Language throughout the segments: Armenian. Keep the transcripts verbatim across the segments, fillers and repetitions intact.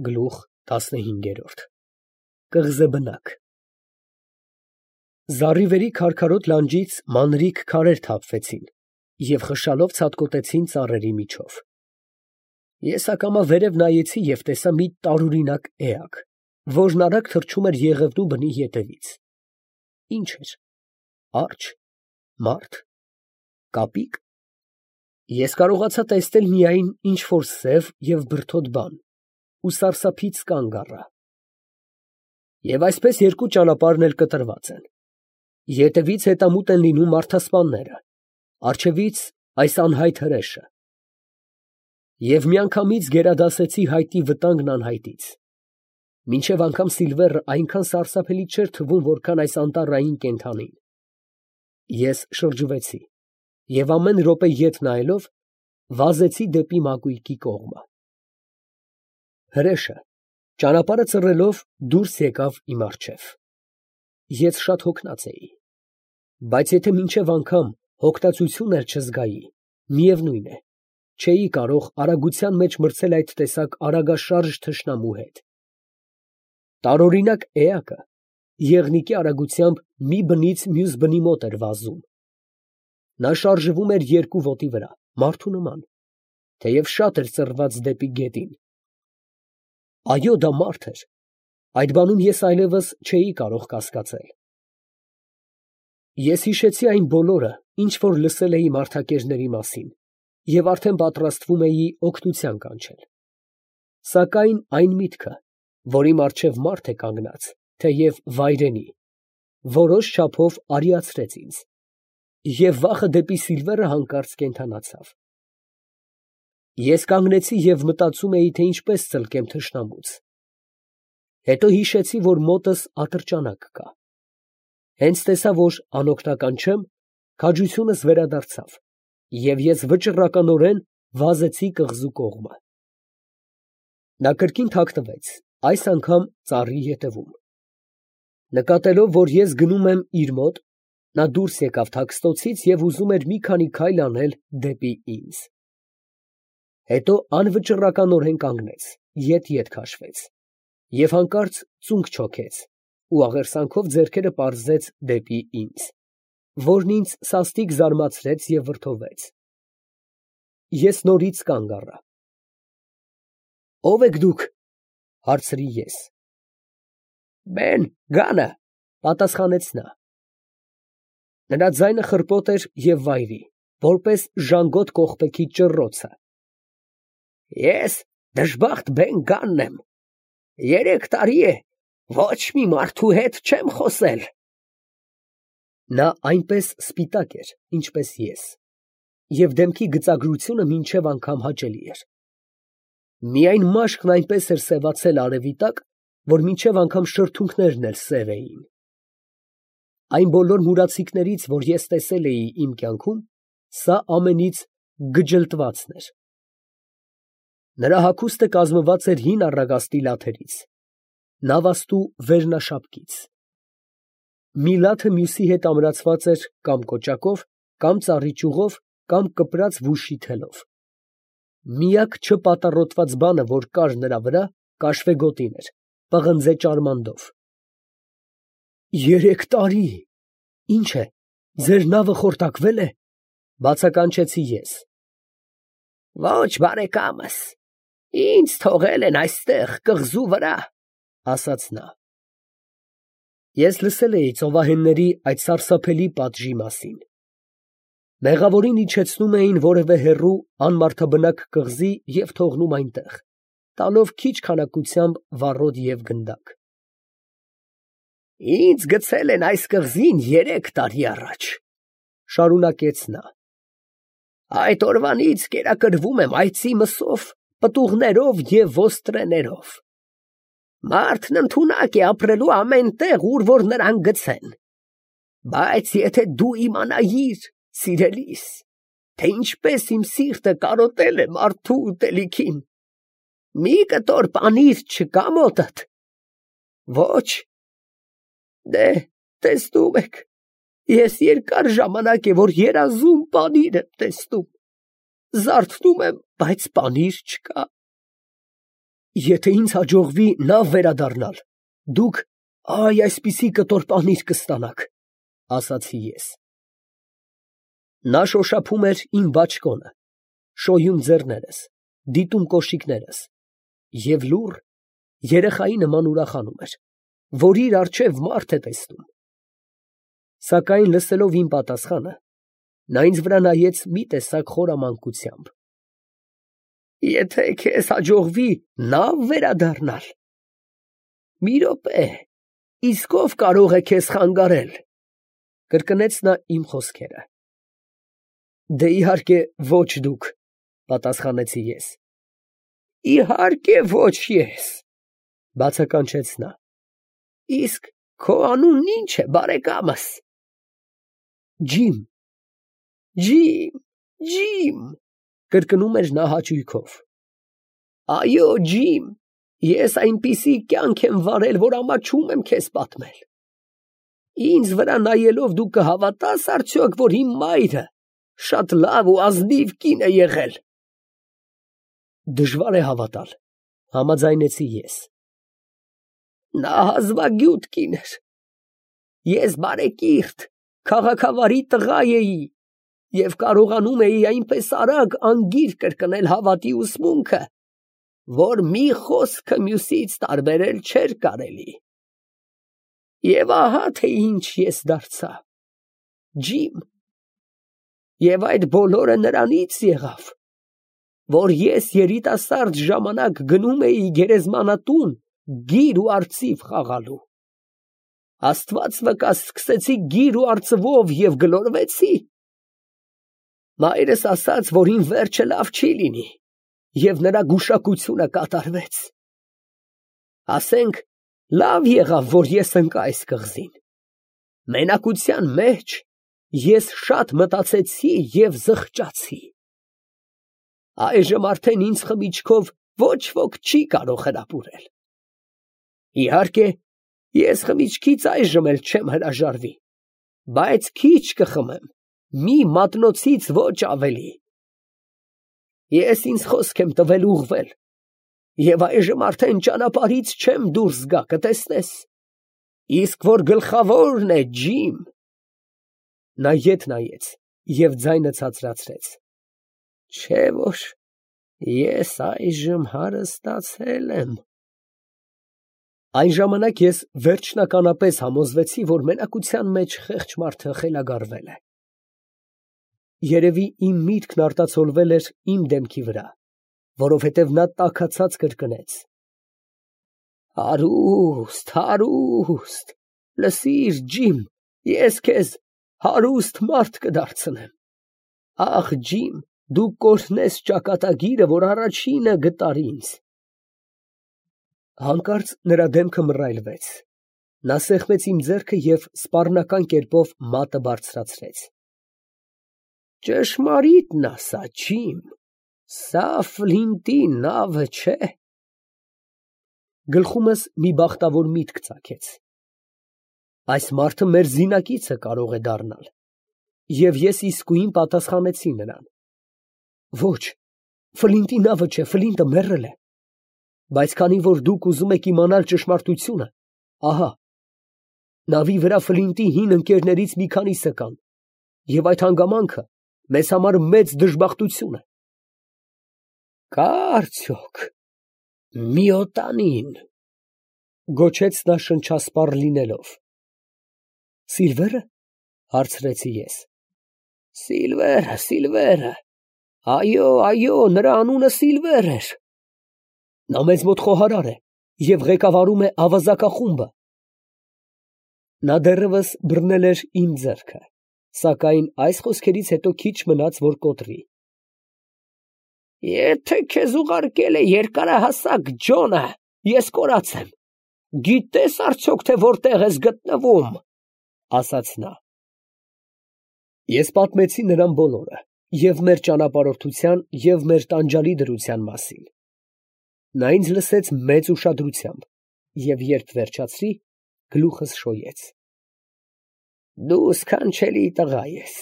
Գլուխ տասնհինգ։ Կղզեբնակ։ Զառիվերի քարքարոտ լանջից մանրիկ քարեր թափվեցին և խշալով ցատկոտեցին ծառերի միջով։ Ես ակամա վերև նայեցի և տեսա մի տարօրինակ էակ, որն արագ թռչում էր Եղևնու բնի ետևից։ Ի՞նչ էր, արջ, մարդ, կապի՞կ։ Ես կարողացա տեսնել միայն ինչ֊որ սև և բրդոտ բան ու սարսափից կանգ առա։ Եվ այսպես երկու ճանապարհն էլ կտրված են. ետևից հետամուտ են լինում մարդասպանները, առջևից այս անհայտ հրեշը։ Եվ միանգամից գերադասեցի հայտնի վտանգն անհայտից։ Մինչև անգամ Սիլվերը այնքան սարսափելի չէր թվում, որքան այս անտառային կենդանին։ Ես շրջվեցի և ամեն րոպե ետ նայելով, վազեցի դեպի մակույկի կողմը։ Հրեշը, ճանապարհը ծռելով, դուրս եկավ իմ առջև։ Ես շատ հոգնած էի, բայց եթե մինչև անգամ հոգնածություն էլ չզգայի, միևնույն է, չէի կարող արագության մեջ մրցել այդ տեսակ արագաշարժ թշնամու հետ։ Տարօրինակ էակը եղնիկի արագությամբ մի բնից մյուս բնի մոտ էր վազում։ Նա շարժվում էր երկու ոտի վրա, մարդու նման, թեև շատ էր ծռված դեպի գետին։ Այո, դա մարդ էր, այդ բանում ես այլևս չէի կարող կասկածել։ Ես հիշեցի այն բոլորը, ինչ որ լսել էի մարդակերների մասին, և արդեն պատրաստվում էի օգնության կանչել։ Սակայն այն միտքը, որ իմ առջև մարդ է կանգնած, թեև վայրենի, որոշ չափով արիացրեց ինձ, և վախը դեպի Սիլվերը հանկարծ կենդանացավ։ Ես կանգնեցի և մտածում էի, թե ինչպես ծլկեմ թշնամուց։ Հետո հիշեցի, որ մոտս ատրճանակ կա։ Հենց տեսա, որ անօգնական չեմ, քաջությունս վերադարձավ, և ես վճռականորեն վազեցի կղզու կողմը։ Նա կրկին թաքնվեց, այս անգամ ծառի ետևում։ Նկատելով, որ ես գնում եմ իր մոտ, նա դուրս եկավ թաքստոցից և ուզում էր մի քանի քայլ անել դեպի ինձ։ Հետո անվճռականորեն կանգնեց, ետ֊ետ քաշվեց և հանկարծ ծունկ չոքեց ու աղերսանքով ձեռքերը պարզեց դեպի ինձ, որն ինձ սաստիկ զարմացրեց և վրդովվեց։ Ես նորից կանգ առա։ «Ո՞վ եք դուք», ֊ հարցրի ես։ «Բեն Գանը», ֊ պատասխանեց նա։ Նրա ձայնը խռպոտ էր և վայրի, որպես ժանգոտ կողպեքի ճռռոցը։ «Ես դժբախտ Բեն Գանն եմ, երեք տարի է ոչ մի մարդու հետ չեմ խոսել»։ Նա այնպես սպիտակ էր, ինչպես ես, և դեմքի գծագրությունը մինչև անգամ հաճելի էր։ Միայն մաշկն այնպես էր սևացել արևի տակ, որ մինչև անգամ շրթունքներն էլ սև էին։ Այն բոլոր մուրացիկներից, որ ես տեսել էի իմ կյանքում, սա ամենից գջլտվածն էր։ Նրա հագուստը կազմված էր հին առագաստի լաթերից, նավաստու վերնաշապկից։ Մի լաթը մյուսի հետ ամրացված էր կամ կոճակով, կամ ծառի ճյուղով, կամ կպրած վուշի թելով։ Միակ չպատառոտված բանը, որ կար նրա վրա, կաշվեգոտին էր, պղնձե ճարմանդով։ «Երեք տարի… Ի՞նչ է, ձեր նավը խորտակվե՞լ է», ֊ բացականչեցի ես։ «Ոչ, բարեկամս, ինձ թողել են այստեղ կղզու վրա», ֊ ասաց նա։ Ես լսել էի ծովահենների այդ սարսափելի պատժի մասին։ Մեղավորին իջեցնում էին որևէ հեռու անմարդաբնակ կղզի և թողնում այնտեղ, տալով քիչ քանակությամբ վառոդ և գնդակ։ «Ինձ գցել են այս կղզին երեք տարի առաջ», ֊ շարունակեց նա։ «Այդ օրվանից կերակրվում եմ այծի մսով, պտուղներով և ոստրեներով։ Մարդն ընդունակ է ապրելու ամեն տեղ, ուր որ նրան գցեն։ Բայց եթե դու իմանայիր, սիրելիս, թե ինչպես իմ սիրտը կարոտել է մարդու ուտելիքին… Մի կտոր պանիր չկա՞ մոտդ։ Ոչ… Դե, տեսնում եք, ես երկար ժամանակ է, որ երազում պանիր եմ տեսնում, զարթնում եմ, բայց պանիր չկա։ Եթե ինձ հաջողվի նավ վերադառնալ, դուք այ այսպիսի կտոր պանիր կստանաք, ասացի ես։ Նա շոշափում էր իմ բաճկոնը, շոյում ձեռներս, դիտում կոշիկներս և լուռ, երեխայի նման ուրախանում էր, որ իր առջև մարդ է տեսնում։ Սակայն լսելով իմ պատասխանը, նա ինձ վրա նայեց մի տեսակ խորամանկությամբ։ Եթե քեզ հաջողվի նավ վերադառնալ, մի րոպե, իսկ ով կարող է քեզ խանգարել, կրկնեց նա իմ խոսքերը։ Դե իհարկե ոչ դուք, պատասխանեցի ես։ Իհարկե ոչ ես, բացականչեց նա։ Իսկ քո անունն ի՞նչ է, բարեկամս։ Ջիմ, ջիմ, ջիմ, կրկնում էր նա հաճույքով։ Այո, ջիմ, ես այնպիսի կյանք եմ վարել, որ ամաչում եմ քեզ պատմել։ Ինձ վրա նայելով դու կհավատա՞ս արդյոք, որ իմ մայրը շատ լավ ու ազնիվ կին է եղել։ Դժվար է հավատալ, համաձայնեցի ես։ Նա հազվագյուտ կին էր։ Ես բարեկիրթ, քաղաքավարի տղա էի և կարողանում էի այնպես արագ անգիր կրկնել հավատի ուսմունքը, որ մի խոսքը մյուսից տարբերել չէր կարելի։ Եվ ահա թե ինչ ես դարձա, ջիմ, և այդ բոլորը նրանից եղավ, որ ես երիտասարդ ժամանակ գնում էի գերեզմանատուն գիր ու արծիվ խաղալու։ Աստված վկա, սկսեցի գիր ու արծվով և գլորվեցի։ Մայրս ասաց, որ իմ վերջը լավ չի լինի, և նրա գուշակությունը կատարվեց։ Ասենք, լավ եղավ, որ ես ընկա այս կղզին։ Մենակության մեջ ես շատ մտածեցի և զղջացի։ Այժմ արդեն ինձ խմիչքով ոչ ոք չի կարող հրապուրել։ Իհարկե, ես խմիչքից այժմ էլ չեմ հրաժարվի, բայց քիչ կխմեմ, մի մատնոցից ոչ ավելի։ Ես ինձ խոսք եմ տվել ուղղվել, և այժմ արդեն ճանապարհից չեմ դուրս գա, կտեսնես։ Իսկ որ գլխավորն է, ջիմ… Նա ետ նայեց և ձայնը ցածրացրեց։ Չէ՞ որ ես այժմ հարստացել եմ։ Այն ժամանակ ես վերջնականապես համոզվեցի, որ մենակության մեջ խեղճ մարդը խելագարվել է։ Երևի իմ միտքն արտացոլվել էր իմ դեմքի վրա, որովհետև նա տաքացած կրկնեց. Հարուստ, հարուստ, լսիր, ջիմ, ես քեզ հարուստ մարդ կդարձնեմ։ Ախ, ջիմ, դու կօրհնես ճակատագիրը, որ առաջինը գտար ինձ։ Հանկարծ նրա դեմքը մռայլվեց, նա սեղմեց իմ ձեռքը և սպառնական կերպով մատը բարձրացրեց։ Ճշմարիտն ասա, ջիմ, սա Ֆլինտի նավը չէ։ Գլխումս մի բախտավոր միտք ծագեց։ Այս մարդը մեր զինակիցը կարող է դառնալ։ Եվ ես իսկույն պատասխանեցի նրան. Ոչ, Ֆլինտի նավը չէ, Ֆլինտը մեռել է։ Բայց քանի որ դուք ուզում եք իմանալ ճշմարտությունը, ահա, նավի վրա Ֆլինտի հին ընկերներից մի քանիսը կան, և այդ հանգամանքը մեզ համար մեծ դժբախտություն է։ Կա՞ արդյոք մի օտանին, գոչեց նա շնչասպառ լինելով։ Սիլվե՞րը, հարցրեցի ես։ Սիլվերը, Սիլվերը, այո, այո, նրա անունը Սիլվեր էր։ Նա մեզ մոտ խոհարար է և ղեկավարում է ավազակախումբը։ Նա դեռևս բռնել էր իմ ձեռքը, սակայն այս խոսքերից հետո քիչ մնաց, որ կոտրի։ Եթե քեզ ուղարկել է երկարահասակ Ջոնը, ես կորած եմ։ Գիտե՞ս արդյոք, թե որտեղ ես գտնվում, ասաց նա։ Ես պատմեցի նրան բոլորը, և մեր ճանապարհորդության, և մեր տանջալի դրության մասին։ Նա ինձ լսեց մեծ ուշադրությամբ և երբ վերջացրի, գլուխս շոյեց։ Դու սքանչելի տղա ես։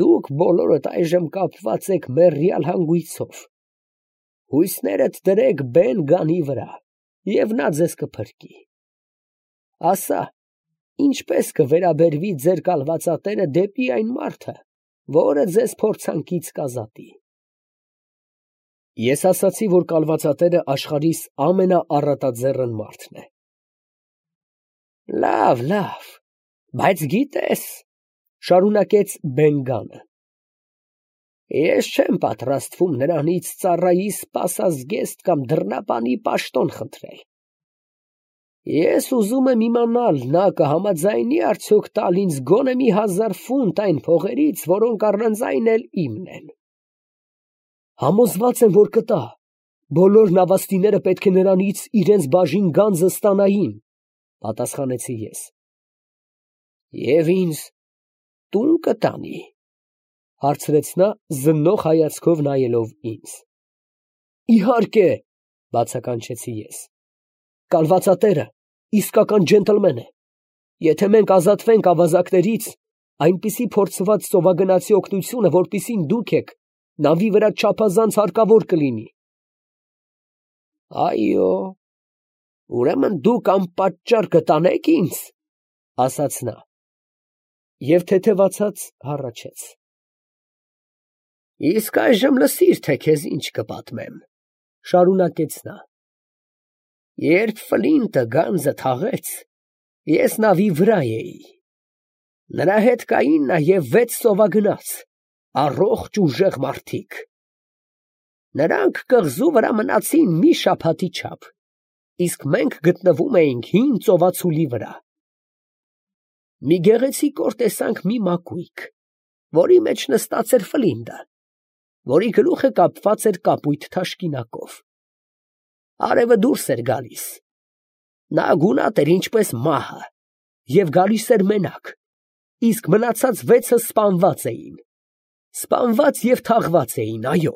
Դուք բոլորդ այժմ կապված եք մեռյալ հանգույցով։ Հույսներդ դրեք բեն գանի վրա, և նա ձեզ կփրկի։ Ասա, ինչպես կվերաբերվի ձեր կալվածատերը դեպի այն մարդը, որը ձեզ փորձանքից կազատի։ Ես ասացի, որ կալվածատերը աշխարհիս ամենաառատաձեռն մարդն է։ Լավ, լավ, բայց գիտես, շարունակեց Բեն֊Գանը, ես չեմ պատրաստվում նրանից ծառայիս սպասազգեստ կամ դռնապանի պաշտոն խնդրել։ Ես ուզում եմ իմանալ, նա կհամաձայնի արդյոք տալ ինձ գոնե մի հազար ֆունտ այն փողերից, որոնք առանձայն էլ իմն են։ Համոզված եմ, որ կտա, բոլոր նավաստիները պետք է նրանից իրենց բաժին գանձը ստանային, պատասխանեցի ես։ Եվ ինձ տուն կտանի, հարցրեց նա զննող հայացքով նայելով ինձ։ Իհարկե, բացականչեցի ես, կալվածատերը իսկական ջենտլմեն է, եթե մենք ազատվենք ավազակներից, այնպիսի փորձված ծովագնացի օգնությունը, որպիսին դուք եք, նավի վրա չափազանց հարկավոր կլինի։ Այո, ուրեմն դուք անպատճառ կտանեք ինձ, ասաց նա, և թեթևացած հառաչեց։ Իսկ այժմ լսիր, թե քեզ ինչ կպատմեմ, շարունակեց նա։ Երբ Ֆլինտը գանձը թաղեց, ես նավի վրա էի։ Նրա հետ կային նաև վեց ծովագնաց, առողջ ուժեղ մարդիկ։ Նրանք կղզու վրա մնացին մի շաբաթի չափ, իսկ մենք գտնվում էինք հին ծովացուլի վրա։ Մի գեղեցիկոր տեսանք մի մակույկ, որի մեջ նստած էր Ֆլինտը, որի գլուխը կապված էր կապույտ թաշկինակով։ Արևը դուրս էր գալիս։ Նա գունատ էր ինչպես մահը և գալիս էր մենակ, իսկ մնացած վեցը սպանված էին։ Սպանված և թաղված էին, այո։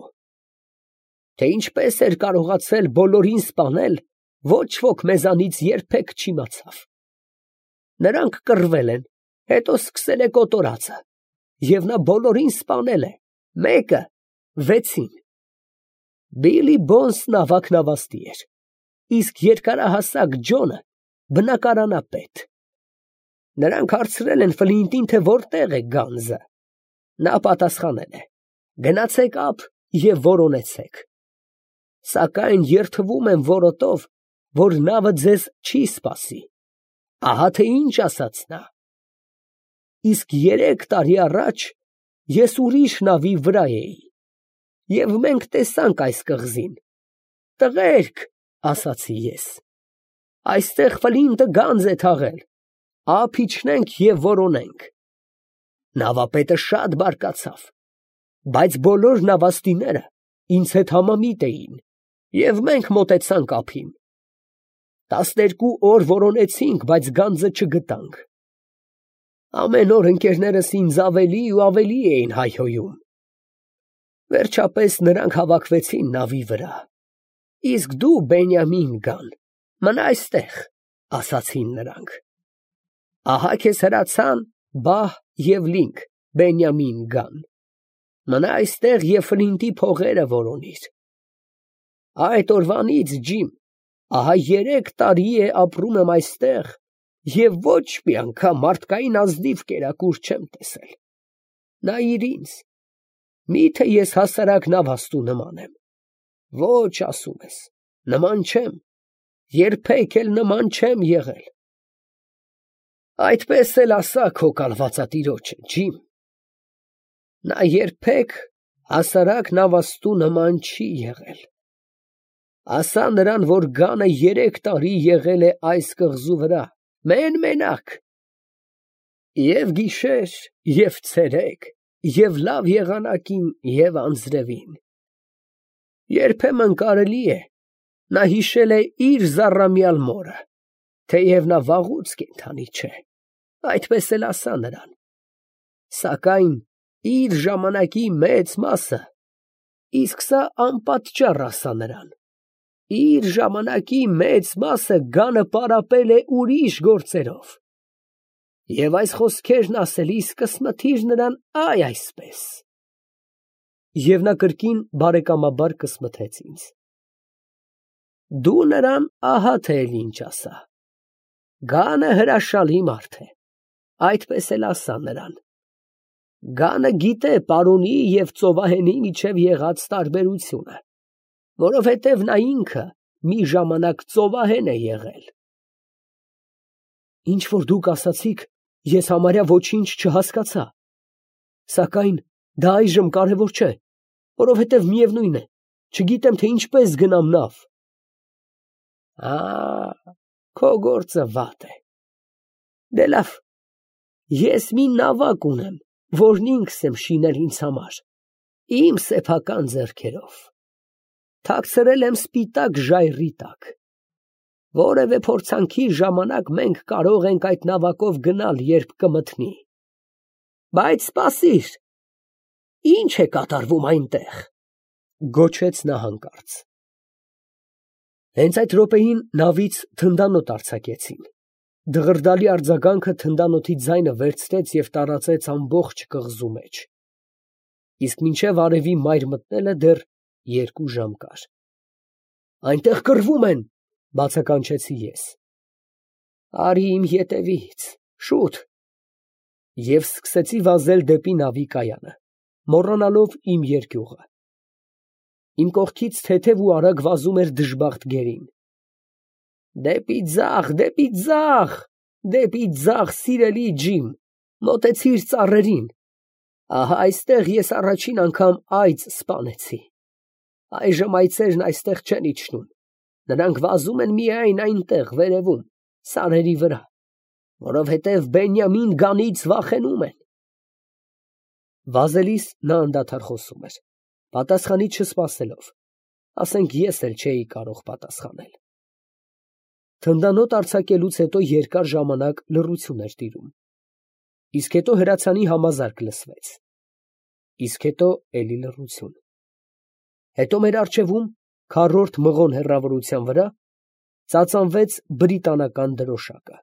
Թե ինչպես էր կարողացել բոլորին սպանել, ոչ ոք մեզանից երբեք չիմացավ։ Նրանք կռվել են, հետո սկսել է կոտորածը, և նա բոլորին սպանել է, մեկը վեցին։ Բիլի Բոնսն ավագ նավաստի էր, իսկ երկարահասակ Ջոնը բնակարանապետ։ Նրանք հարցրել են Ֆլինտին, թե որտեղ է գանձը։ Նա պատասխանել է. գնացեք ափ և որոնեցեք։ Սակայն երդվում եմ որոտով, որ նավը ձեզ չի սպասի։ Ահա թե ինչ ասաց նա։ Իսկ երեք տարի առաջ ես ուրիշ նավի վրա էի, և մենք տեսանք այս կղզին։ Տղերք, ասացի ես, այստեղ Ֆլինտը գանձ է թաղել, ափ իջնենք և որոնենք։ Նավապետը շատ բարկացավ, բայց բոլոր նավաստիները ինձ հետ համամիտ էին, և մենք մոտեցանք ափին։ Տասներկու օր որոնեցինք, բայց գանձը չգտանք։ Ամեն օր ընկերներս ինձ ավելի ու ավելի էին հայհոյում։ Վերջապես նրանք հավաքվեցին նավի վրա։ Իսկ դու, Բենյամին Գան, մնա այստեղ, ասացին նրանք։ Ահա քեզ հրացան Բահ և Լինք, Բենյամին Գան։ Մնա այստեղ և Ֆլինտի փողերը որոնիր։ Այդ օրվանից, Ջիմ, ահա երեք տարի է ապրում եմ այստեղ և ոչ մի անգամ մարդկային ազնիվ կերակուր չեմ տեսել։ Նայիր ինձ, մի՞թե ես հասարակ նավաստու նման եմ։ Ոչ, ասում ես, նման չեմ, երբեք էլ նման չեմ եղել։ Այդպես էլ ասա քո կալվածատիրոջը, Ջիմ։ Նա երբեք հասարակ նավաստու նման չի եղել։ Ասա նրան, որ Գանը երեք տարի եղել է այս կղզու վրա, մեն֊մենակ։ Եվ գիշեր, և ցերեկ, և լավ եղանակին, և անձրևին։ Երբեմն կարելի է, նա հիշել է իր զառամյալ մորը, թեև նա վաղուց կենդանի չէ, այդպես էլ ասա նրան։ Սակայն իր ժամանակի մեծ մասը, իսկ սա անպատճառ ասա նրան, իր ժամանակի մեծ մասը Գանը պարապել է ուրիշ գործերով։ Եվ այս խոսքերն ասելիս կսմթիր նրան այ այսպես։ Եվ նա կրկին բարեկամաբար կսմթեց ինձ։ Դու նրան ահա թե էլ ինչ ասա. Գանը հրաշալի մարդ է, այդպես էլ ասա նրան. Գանը գիտե պարոնի և ծովահենի միջև եղած տարբերությունը, որովհետև նա ինքը մի ժամանակ ծովահեն է եղել։ Ինչ որ դուք ասացիք, ես համարյա ոչինչ չհասկացա, սակայն դա այժմ կարևոր չէ, որովհետև միևնույն է, չգիտեմ, թե ինչպես գնամ նավ։ Ա, քո գործը վատ է։ Դե լավ, ես մի նավակ ունեմ, որն ինքս եմ շինել ինձ համար, իմ սեփական ձեռքերով, թաքցրել եմ սպիտակ ժայռի տակ, որևէ փորձանքի ժամանակ մենք կարող ենք այդ նավակով գնալ, երբ կմթնի, բայց սպասիր, ի՞նչ է կատարվում այնտեղ, գոչեց նա հանկարծ։ Հենց այդ րոպեին նավից թնդանոթ արձակեցին, դղրդալի արձագանքը թնդանոթի ձայնը վերցրեց և տարածեց ամբողջ կղզու մեջ, իսկ մինչև արևի մայր մտնելը դեռ երկու ժամ կար։ Այնտեղ կռվում են, բացականչեցի ես։ Արի իմ ետևից, շուտ։ Եվ սկսեցի վազել դեպի նավի կայանը, մոռանալով իմ երկյուղը։ Իմ կողքից թեթև ու արագ վազում էր դժբախտ գերին։ Դեպի ձախ, դեպի ձախ, դեպի ձախ, սիրելի Ջիմ, մոտեցիր ծառերին, ահա այստեղ ես առաջին անգամ այծ սպանեցի։ Այժմ այծերն այստեղ չեն իջնում, նրանք վազում են միայն այնտեղ վերևում, սարերի վրա, որովհետև Բենյամին գանից վախենում են։ Վազելիս նա անդադար խոսում էր, պատասխանից չսպասելով, ասենք ես էլ չէի կարող պատասխանել։ Թնդանոթ արձակելուց հետո երկար ժամանակ լռություն էր տիրում, իսկ հետո հրացանի համազարկ լսվեց, իսկ հետո էլի լռություն։ Հետո մեր առջևում, քառորդ մղոն հեռավորության վրա, ծածանվեց բրիտանական դրոշակը։